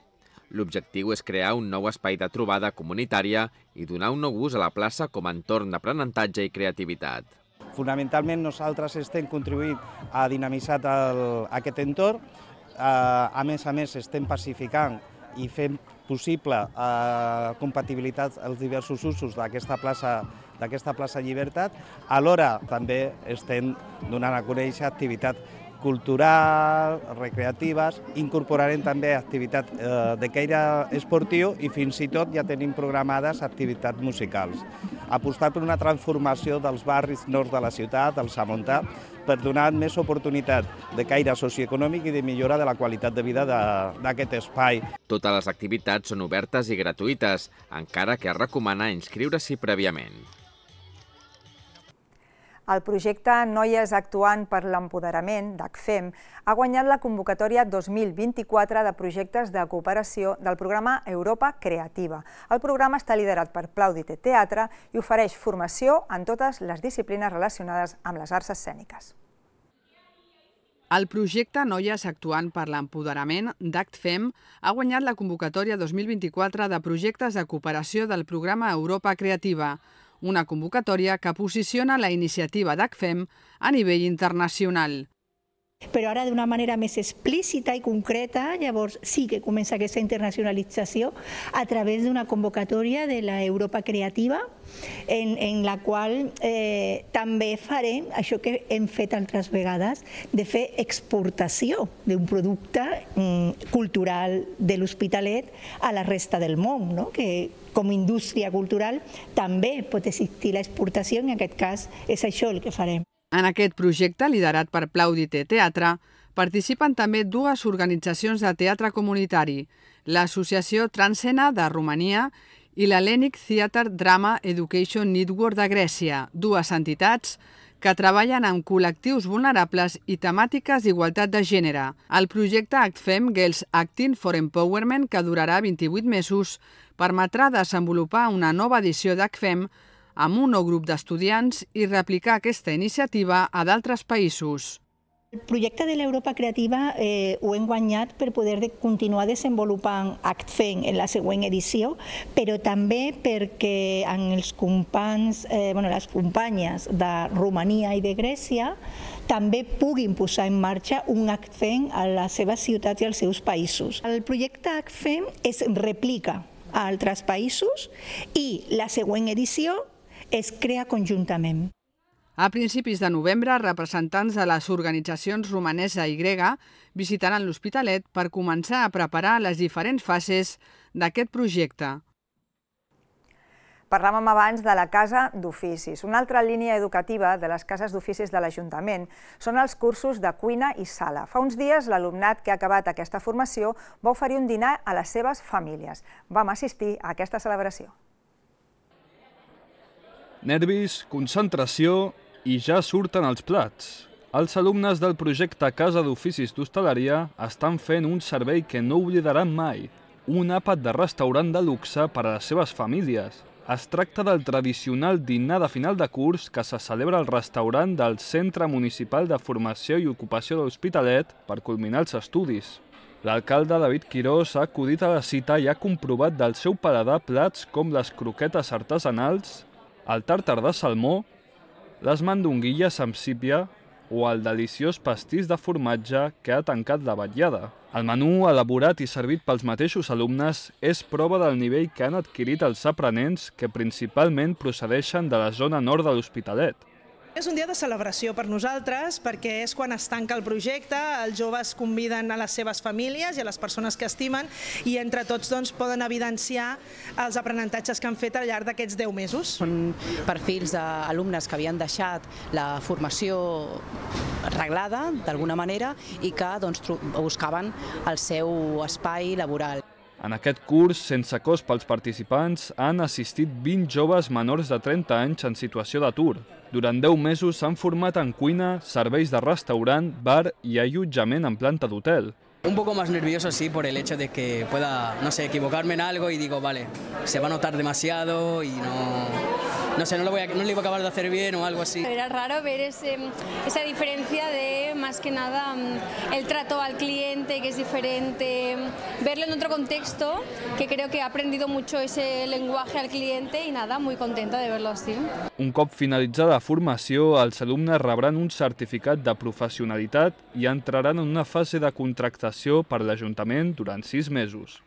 L'objectiu és crear un nou espai de trobada comunitària i donar un nou ús a la plaça com a entorn d'aprenentatge i creativitat. Fonamentalment nosaltres estem contribuint a dinamitzar el, aquest entorn. A més a més estem pacificant i fent possible eh, compatibilitat als diversos usos d'aquesta plaça, d'aquesta plaça Llibertat. Alhora també estem donant a conèixer activitat cultural, recreatives, incorporarem també activitat eh, de caire esportiu i fins i tot ja tenim programades activitats musicals. Apostar per una transformació dels barris nord de la ciutat, el Samontà, per donar més oportunitat de caire socioeconòmic i de millora de la qualitat de vida d'aquest espai. Totes les activitats són obertes i gratuïtes, encara que es recomana inscriure-s'hi prèviament. El projecte Noies Actuant per l'Empoderament, d'ACFEM, ha guanyat la convocatòria dos mil vint-i-quatre de projectes de cooperació del programa Europa Creativa. El programa està liderat per Plaudite Teatre i ofereix formació en totes les disciplines relacionades amb les arts escèniques. El projecte Noies Actuant per l'Empoderament d'ACFEM ha guanyat la convocatòria dos mil vint-i-quatre de projectes de cooperació del programa Europa Creativa, una convocatòria que posiciona la iniciativa d'ACFEM a nivell internacional. Però ara d'una manera més explícita i concreta, llavors sí que comença aquesta internacionalització a través d'una convocatòria de la Europa Creativa, en, en la qual eh, també farem això que hem fet altres vegades, de fer exportació d'un producte mm, cultural de l'Hospitalet a la resta del món, no? Que com a indústria cultural també pot existir l'exportació, en aquest cas és això el que farem. En aquest projecte, liderat per Plaudite Teatre, participen també dues organitzacions de teatre comunitari, l'Associació Transcena de Romania i l'Hellenic Theatre Drama Education Network de Grècia, dues entitats que treballen amb col·lectius vulnerables i temàtiques d'igualtat de gènere. El projecte ACFEM Girls Acting for Empowerment, que durarà vint-i-vuit mesos, permetrà desenvolupar una nova edició d'ACFEM amb un nou grup d'estudiants i replicar aquesta iniciativa a d'altres països. El projecte de l'Europa Creativa eh, ho hem guanyat per poder de continuar desenvolupant ACFEM en la següent edició, però també perquè en els companys, eh, bueno, les companyes de Romania i de Grècia també puguin posar en marxa un ACFEM a les seves ciutats i als seus països. El projecte ACFEM es replica a altres països i la següent edició es crea conjuntament. A principis de novembre, representants de les organitzacions romanesa i grega visitaran l'Hospitalet per començar a preparar les diferents fases d'aquest projecte. Parlàvem abans de la Casa d'Oficis. Una altra línia educativa de les cases d'oficis de l'Ajuntament són els cursos de cuina i sala. Fa uns dies, l'alumnat que ha acabat aquesta formació va oferir un dinar a les seves famílies. Vam assistir a aquesta celebració. Nervis, concentració i ja surten els plats. Els alumnes del projecte Casa d'Oficis d'Hostaleria estan fent un servei que no oblidaran mai, un àpat de restaurant de luxe per a les seves famílies. Es tracta del tradicional dinar de final de curs que se celebra al restaurant del Centre Municipal de Formació i Ocupació de l'Hospitalet per culminar els estudis. L'alcalde David Quirós ha acudit a la cita i ha comprovat del seu paladar plats com les croquetes artesanals, el tàrtar de salmó, les mandonguilles amb sípia o el deliciós pastís de formatge que ha tancat la vetllada. El menú, elaborat i servit pels mateixos alumnes, és prova del nivell que han adquirit els aprenents que principalment procedeixen de la zona nord de l'Hospitalet. És un dia de celebració per nosaltres perquè és quan es tanca el projecte, els joves conviden a les seves famílies i a les persones que estimen i entre tots doncs, poden evidenciar els aprenentatges que han fet al llarg d'aquests deu mesos. Són perfils d'alumnes que havien deixat la formació reglada d'alguna manera i que doncs, buscaven el seu espai laboral. En aquest curs, sense cost pels participants, han assistit vint joves menors de trenta anys en situació d'atur. Durant deu mesos s'han format en cuina, serveis de restaurant, bar i allotjament en planta d'hotel. Un poco más nervioso, sí, por el hecho de que pueda, no sé, equivocarme en algo y digo, vale, se va a notar demasiado y no, no sé, no lo voy a, no lo iba a acabar de hacer bien o algo así. Era raro ver ese, esa diferencia de, más que nada, el trato al cliente, que es diferente, verlo en otro contexto, que creo que he aprendido mucho ese lenguaje al cliente y nada, muy contenta de verlo así. Un cop finalitzada la formació, els alumnes rebran un certificat de professionalitat i entraran en una fase de contractació per l'Ajuntament durant sis mesos.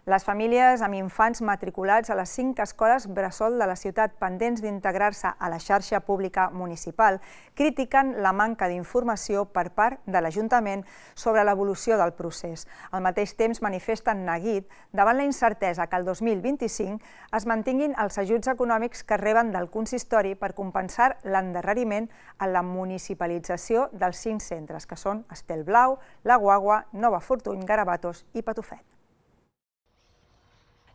Les famílies amb infants matriculats a les cinc escoles bressol de la ciutat pendents d'integrar-se a la xarxa pública municipal critiquen la manca d'informació per part de l'Ajuntament sobre l'evolució del procés. Al mateix temps manifesten neguit davant la incertesa que el dos mil vint-i-cinc es mantinguin els ajuts econòmics que reben del consistori per compensar l'endarreriment en la municipalització dels cinc centres, que són Estelblau, La Guagua, Nova Fortuny, Garabatos i Patufet.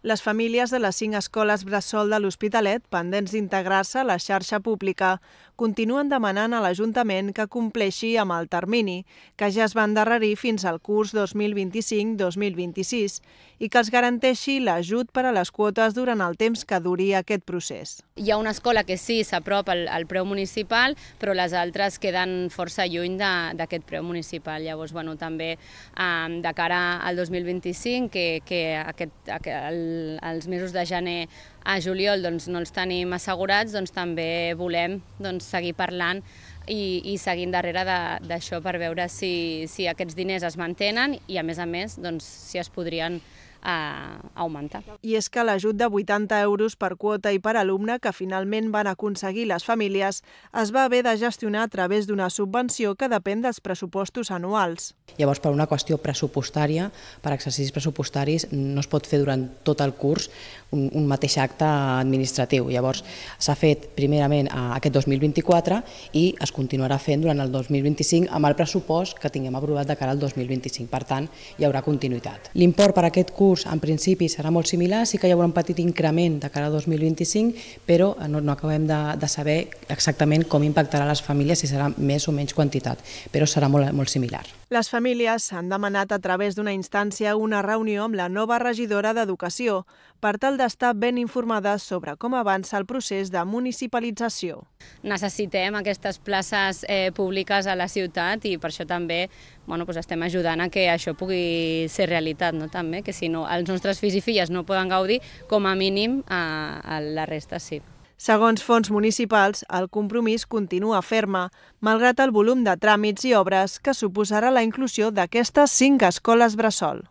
Les famílies de les cinc escoles bressol de l'Hospitalet, pendents d'integrar-se a la xarxa pública, continuen demanant a l'Ajuntament que compleixi amb el termini, que ja es va endarrerir fins al curs dos mil vint-i-cinc dos mil vint-i-sis, i que els garanteixi l'ajut per a les quotes durant el temps que duri aquest procés. Hi ha una escola que sí s'apropa al, al preu municipal, però les altres queden força lluny d'aquest preu municipal. Llavors, bueno, també eh, de cara al dos mil vint-i-cinc, que, que aquest, el, els mesos de gener a juliol doncs, no els tenim assegurats, doncs, també volem doncs, seguir parlant i, i seguint darrere d'això per veure si, si aquests diners es mantenen i, a més a més, doncs, si es podrien a augmentar. I és que l'ajut de vuitanta euros per quota i per alumne que finalment van aconseguir les famílies es va haver de gestionar a través d'una subvenció que depèn dels pressupostos anuals. Llavors, per una qüestió pressupostària, per exercicis pressupostaris, no es pot fer durant tot el curs un, un mateix acte administratiu. Llavors, s'ha fet primerament aquest dos mil vint-i-quatre i es continuarà fent durant el dos mil vint-i-cinc amb el pressupost que tinguem aprovat de cara al dos mil vint-i-cinc. Per tant, hi haurà continuïtat. L'import per aquest curs en principi serà molt similar, sí que hi haurà un petit increment de cara al dos mil vint-i-cinc, però no, no acabem de, de saber exactament com impactarà les famílies, si serà més o menys quantitat, però serà molt, molt similar. Les famílies han demanat a través d'una instància una reunió amb la nova regidora d'Educació per tal d'estar ben informades sobre com avança el procés de municipalització. Necessitem aquestes places eh, públiques a la ciutat i per això també bueno, doncs estem ajudant a que això pugui ser realitat, no? També, que si no, els nostres fills i filles no poden gaudir, com a mínim a, a la resta sí. Segons fons municipals, el compromís continua ferme, malgrat el volum de tràmits i obres que suposarà la inclusió d'aquestes cinc escoles bressol.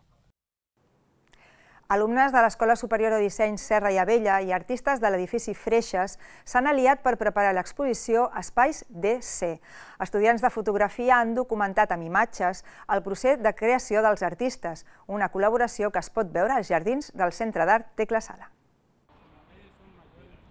Alumnes de l'Escola Superior de Disseny Serra i Abella i artistes de l'edifici Freixes s'han aliat per preparar l'exposició Espais D C. Estudiants de fotografia han documentat amb imatges el procés de creació dels artistes, una col·laboració que es pot veure als jardins del Centre d'Art Tecla Sala.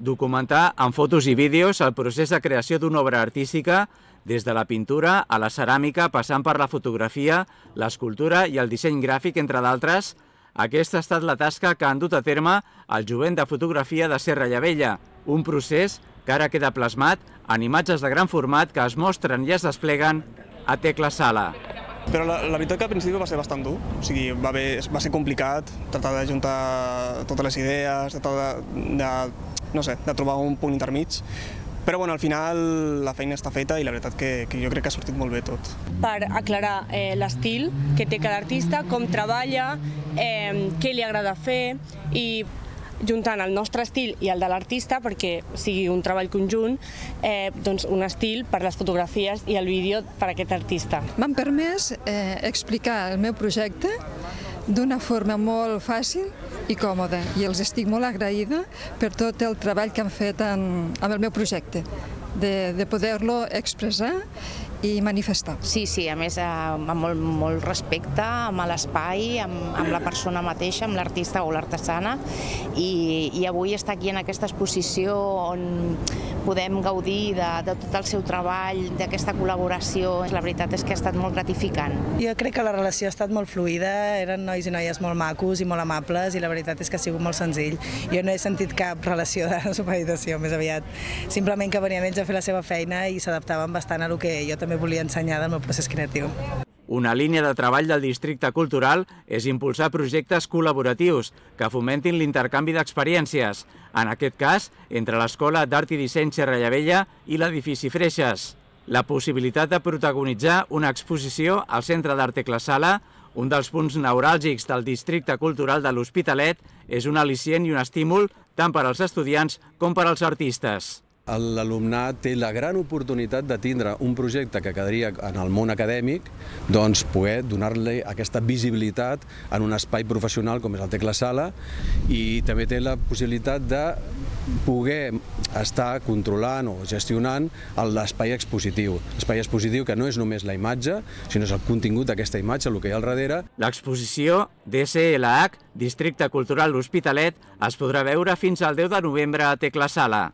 Documentar amb fotos i vídeos el procés de creació d'una obra artística des de la pintura a la ceràmica, passant per la fotografia, l'escultura i el disseny gràfic, entre d'altres. Aquesta ha estat la tasca que han dut a terme el jovent de fotografia de Serra i Abella, un procés que ara queda plasmat en imatges de gran format que es mostren i es despleguen a Tecla Sala. Però la, la veritat que al principi va ser bastant dur, o sigui, va, haver, va ser complicat tratar de juntar totes les idees, tratar de, de, no sé, de trobar un punt intermig, però bueno, al final la feina està feta i la veritat que, que jo crec que ha sortit molt bé tot. Per aclarar eh, l'estil que té cada artista, com treballa, eh, què li agrada fer i juntant el nostre estil i el de l'artista perquè sigui un treball conjunt, eh, doncs un estil per les fotografies i el vídeo per a aquest artista. M'han permès eh, explicar el meu projecte d'una forma molt fàcil i còmoda, i els estic molt agraïda per tot el treball que han fet en, amb el meu projecte, de, de poder-lo expressar i manifestar. Sí, sí, a més amb molt, molt respecte, amb l'espai, amb, amb la persona mateixa, amb l'artista o l'artesana, i, i avui estar aquí en aquesta exposició on podem gaudir de, de tot el seu treball, d'aquesta col·laboració, la veritat és que ha estat molt gratificant. Jo crec que la relació ha estat molt fluida, eren nois i noies molt macos i molt amables, i la veritat és que ha sigut molt senzill. Jo no he sentit cap relació de supeditació, més aviat. Simplement que venien ells a fer la seva feina i s'adaptaven bastant a el que jo també volia ensenyar del meu procés creatiu. Una línia de treball del districte cultural és impulsar projectes col·laboratius que fomentin l'intercanvi d'experiències, en aquest cas entre l'Escola d'Art i Disseny Serrallavella i l'edifici Freixes. La possibilitat de protagonitzar una exposició al Centre d'Art Teclasala, un dels punts neuràlgics del districte cultural de l'Hospitalet, és un al·licient i un estímul tant per als estudiants com per als artistes. L'alumnat té la gran oportunitat de tindre un projecte que quedaria en el món acadèmic, doncs poder donar-li aquesta visibilitat en un espai professional com és el Teclasala, i també té la possibilitat de poder estar controlant o gestionant l'espai expositiu. L'espai expositiu que no és només la imatge, sinó és el contingut d'aquesta imatge, el que hi ha al darrere. L'exposició D S L H, Districte Cultural L'Hospitalet, es podrà veure fins al deu de novembre a Teclasala.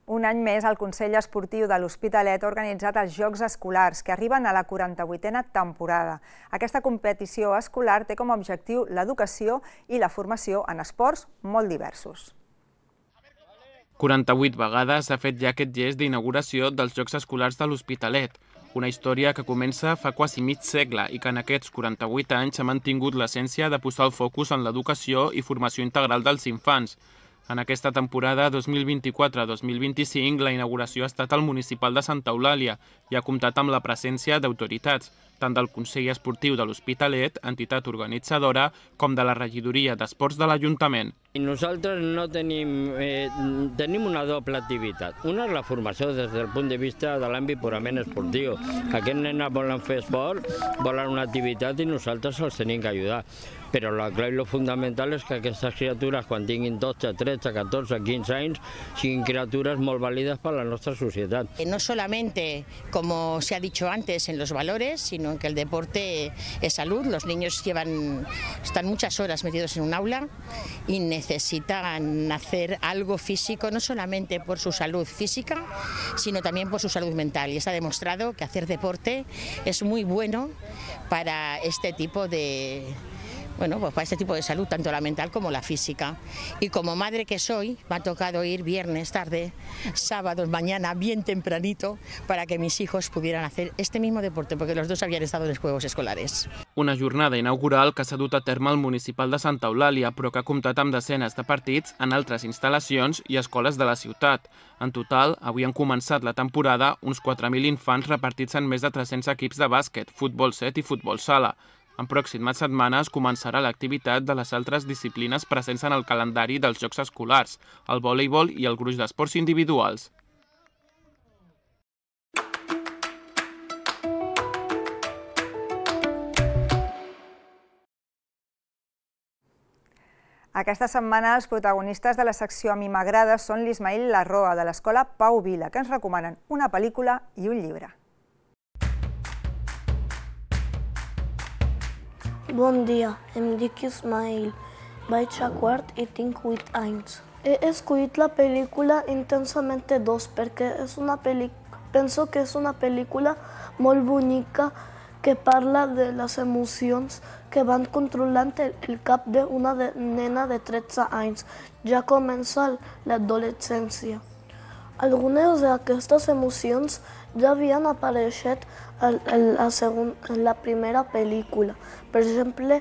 Un any més, el Consell Esportiu de l'Hospitalet ha organitzat els Jocs Escolars, que arriben a la quaranta-vuitena temporada. Aquesta competició escolar té com a objectiu l'educació i la formació en esports molt diversos. quaranta-vuit vegades s'ha fet ja aquest gest d'inauguració dels Jocs Escolars de l'Hospitalet, una història que comença fa quasi mig segle i que en aquests quaranta-vuit anys ha mantingut l'essència de posar el focus en l'educació i formació integral dels infants. En aquesta temporada dos mil vint-i-quatre dos mil vint-i-cinc, la inauguració ha estat al municipal de Santa Eulàlia i ha comptat amb la presència d'autoritats, tant del Consell Esportiu de l'Hospitalet, entitat organitzadora, com de la regidoria d'Esports de l'Ajuntament. Nosaltres no tenim, eh, tenim una doble activitat. Una és la formació des del punt de vista de l'àmbit purament esportiu. Aquests nenes volen fer esport, volen una activitat i nosaltres els tenim que ajudar. Però la clau i lo fundamental és que aquestes criatures, quan tinguin dotze, tretze, catorze, quinze anys, siguin criatures molt vàlides per a la nostra societat. No solamente, como se ha dicho antes, en los valores, sino en que el deporte es salud. Los niños llevan, están muchas horas metidos en un aula y necesitan hacer algo físico, no solamente por su salud física, sino también por su salud mental. Y está demostrado que hacer deporte es muy bueno para este tipo de... Bueno, pues para este tipo de salud, tanto la mental como la física. Y como madre que soy, me ha tocado ir viernes tarde, sábados mañana, bien tempranito, para que mis hijos pudieran hacer este mismo deporte, porque los dos habían estado en los Juegos Escolares. Una jornada inaugural que s'ha dut a terme al municipal de Santa Eulàlia, però que ha comptat amb desenes de partits en altres instal·lacions i escoles de la ciutat. En total, avui han començat la temporada uns quatre mil infants repartits en més de tres-cents equips de bàsquet, futbol set i futbol sala. En pròximes setmanes començarà l'activitat de les altres disciplines presents en el calendari dels Jocs Escolars, el voleibol i el gruix d'esports individuals. Aquesta setmana els protagonistes de la secció A mi m'agrada són l'Ismail Larroa, de l'escola Pau Vila, que ens recomanen una pel·lícula i un llibre. Bon dia, em dic Ismail. Vaig a quart i tinc vuit anys. He escollit la pel·lícula Intensamente dos perquè és una penso que és una pel·lícula molt bonica que parla de les emocions que van controlant el cap d'una nena de tretze anys. Ja comença l'adolescència. Algunes d'aquestes emocions ja havien apareixet en la primera pel·lícula. Per exemple,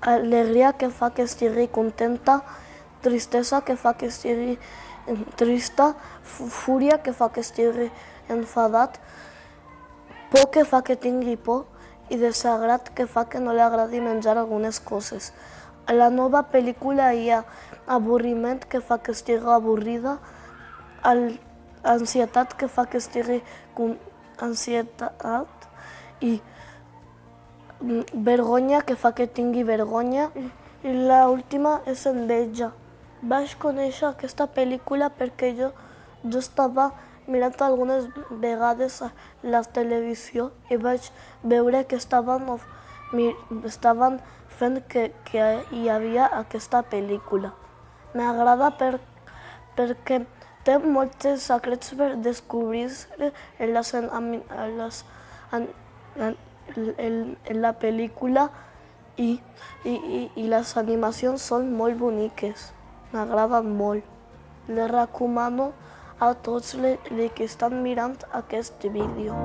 alegria que fa que estigui contenta, tristesa que fa que estigui trista, fúria que fa que estigui enfadat, por que fa que tingui por i desagrat que fa que no li agradi menjar algunes coses. a la nova pel·lícula hi ha avorriment que fa que estigui avorrida, ansietat que fa que estigui com ansietat i vergonya que fa que tingui vergonya i l'última és enveja. Vaig conèixer aquesta pel·lícula perquè jo, jo estava mirant algunes vegades a la televisió i vaig veure que estaven, estaven fent que, que hi havia aquesta pel·lícula. M'agrada per, perquè té molts secrets per descobrir en, les, en, les, en, en, en la pel·lícula i, i, i, i les animacions són molt boniques. M'agraden molt. Les recomano a tots els que estan mirant aquest vídeo.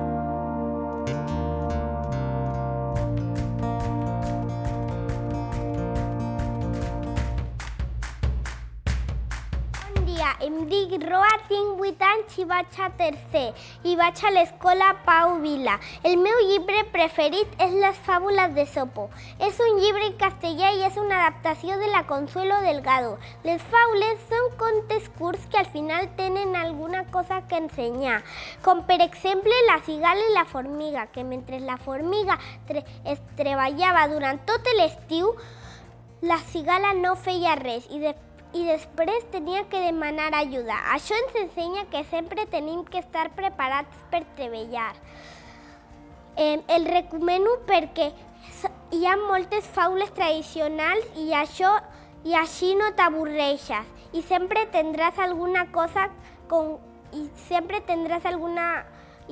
Em dic Roa, tinc vuit anys i vaig a tercer i vaig a l'escola Pau Vila. El meu llibre preferit és Les fàbules d'Esopo. És un llibre en castellà i és una adaptació de la Consuelo Delgado. Les faules són contes curts que al final tenen alguna cosa que ensenyar, com per exemple la cigala i la formiga, que mentre la formiga tre es treballava durant tot l'estiu, la cigala no feia res i després i després tenia que demanar ajuda. Això ens ensenya que sempre tenim que estar preparats per treballar. Eh, el recomano perquè hi ha moltes faules tradicionals i, això, i així no t'avorreixes i sempre tindràs alguna cosa con, i sempre tindràs alguna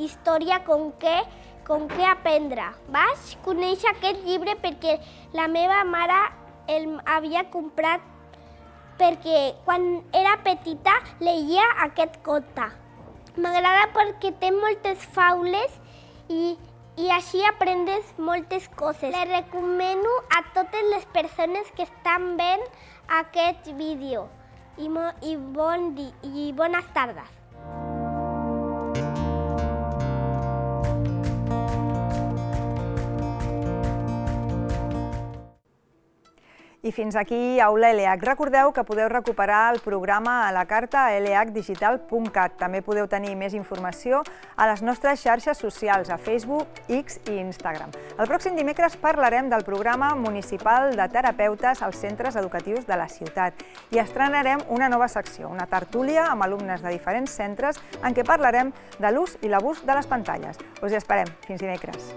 història con què, con què aprendre. Vaig conèixer aquest llibre perquè la meva mare el havia comprat perquè quan era petita llegia aquest conte. M'agrada perquè té moltes faules i, i així aprendes moltes coses. Le recomano a totes les persones que estan veient aquest vídeo i, i, bon di, i bones tardes. I fins aquí Aula L H. Recordeu que podeu recuperar el programa a la carta a l h digital punt cat. També podeu tenir més informació a les nostres xarxes socials, a Facebook, X i Instagram. El pròxim dimecres parlarem del programa municipal de terapeutes als centres educatius de la ciutat i estrenarem una nova secció, una tertúlia amb alumnes de diferents centres en què parlarem de l'ús i l'abús de les pantalles. Us hi esperem. Fins dimecres.